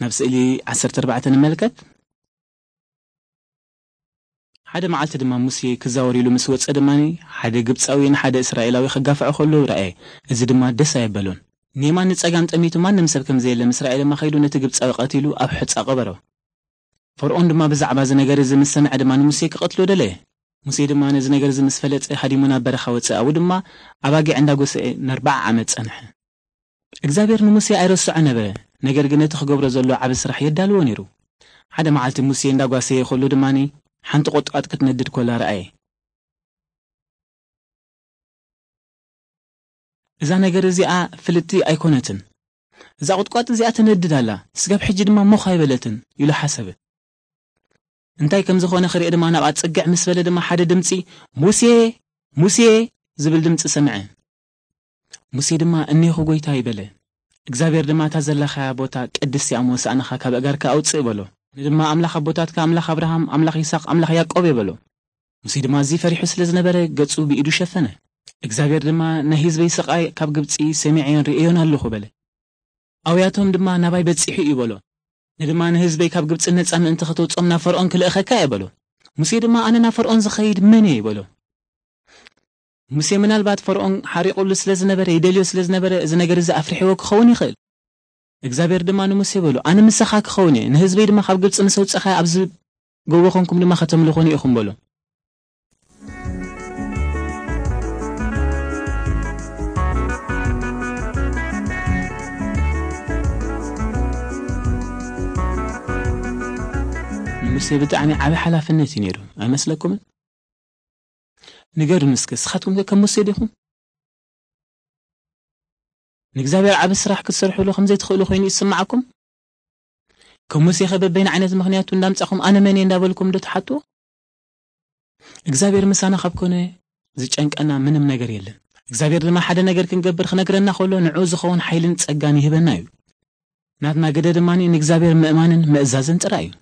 ናብ ስእሊ ዓሰርተ ኣርባዕተ ንመልከት። ሓደ መዓልቲ ድማ ሙሴ ክዛወር ኢሉ ምስ ወጸ ድማ፣ ሓደ ግብጻዊ ንሓደ እስራኤላዊ ክጋፍዖ ከሎ ረኣየ። እዚ ድማ ደስ ኣየበሎን። ንየማን ንጸጋም ጠሚቱ ማንም ሰብ ከም ዘየለ፣ ምስ ረኣየ ድማ ከይዱ ነቲ ግብጻዊ ቀቲሉ ኣብ ሑጻ ቀበሮ። ፈርኦን ድማ ብዛዕባ እዚ ነገር እዚ ምስ ሰምዐ ድማ ንሙሴ ክቐትሎ ደለየ። ሙሴ ድማ ነዚ ነገር እዚ ምስ ፈለጠ ሃዲሙ ናብ በረኻ ወጸ። ኣብኡ ድማ ኣባጊዕ እንዳጎሰዐ ንኣርብዓ ዓመት ጸንሐ። እግዚኣብሔር ንሙሴ ኣይረስዖ ነበረ፣ ነገር ግን እቲ ክገብሮ ዘሎ ዓቢ ስራሕ የዳልዎ ነይሩ። ሓደ መዓልቲ ሙሴ እንዳጓሰየ ከሎ ድማ ሓንቲ ቁጥቋጥ ክትነድድ ኮላ ረኣየ። እዛ ነገር እዚኣ ፍልጥቲ ኣይኮነትን። እዛ ቁጥቋጥ እዚኣ ትነድድ ኣላ፣ ስጋብ ሕጂ ድማ ሞኽ ኣይበለትን ኢሉ ሓሰበ። እንታይ ከም ዝኾነ ክርኢ ድማ ናብኣ ጽግዕ ምስ በለ ድማ ሓደ ድምጺ፣ "ሙሴ፣ ሙሴ" ዝብል ድምጺ ሰምዐ። ሙሴ ድማ፣ "እኔኹ ጐይታይ" በለ። እግዚኣብሔር ድማ፣ "እታ ዘለኻያ ቦታ ቅድስቲ እያ እሞ፣ ሳእንኻ ካብ ኣእጋርካ ኣውጽእ" በሎ። ንድማ፣ "ኣምላኽ ኣቦታትካ፣ ኣምላኽ ኣብርሃም፣ ኣምላኽ ይስሐቅ፣ ኣምላኽ ያዕቆብ" እየ በሎ። ሙሴ ድማ ኣዝዩ ፈሪሑ ስለ ዝነበረ፣ ገጹ ብኢዱ ሸፈነ። እግዚኣብሔር ድማ፣ "ናይ ህዝበይ ስቓይ ካብ ግብጺ ሰሚዐዮን ርእዮን ኣለኹ" በለ። ኣውያቶም ድማ ናባይ በጺሑ እዩ በሎ። ንድማ፣ "ንህዝበይ ካብ ግብጺ ነጻ ምእንቲ ከተውጾም ናብ ፈርኦን ክልእኸካ እየ" በሎ። ሙሴ ድማ፣ "ኣነ ናብ ፈርኦን ዝኸይድ መን እየ?" በሎ። ሙሴ ምናልባት ፈርኦን ሓሪቑሉ ስለ ዝነበረ፣ ይደልዮ ስለ ዝነበረ፣ እዚ ነገር እዚ ኣፍሪሕዎ ክኸውን ይኽእል። እግዚኣብሔር ድማ ንሙሴ በሎ፣ "ኣነ ምሳኻ ክኸውን እየ፣ ንህዝበይ ድማ ካብ ግብጺ ምስ ኣውጻእኻዮ ኣብዚ ጎቦ ኾንኩም ድማ ከተምልኹኒ ኢኹም" በሎ። ንሙሴ ብጣዕሚ ዓቢ ሓላፍነት እዩ ነይሩ፣ ኣይመስለኩምን? ንገሩኒ እስከ፣ ንስኻትኩም ከ ከም ሙሴ ዲኹም? ንእግዚኣብሔር ዓቢ ስራሕ ክትሰርሕሉ ከም ዘይትኽእሉ ኮይኑ ይስምዓኩም? ከም ሙሴ ከ በበይን ዓይነት ምኽንያቱ እንዳምጻኹም ኣነ መን እየ እንዳበልኩም ዶ ትሓትዎ? እግዚኣብሔር ምሳና ካብ ኮነ ዝጨንቀና ምንም ነገር የለን። እግዚኣብሔር ድማ ሓደ ነገር ክንገብር ክነግረና ከሎ ንዕኡ ዝኸውን ሓይልን ጸጋን ይህበና እዩ። ናትና ግደ ድማ ንእግዚኣብሔር ምእማንን ምእዛዝን ጥራይ እዩ።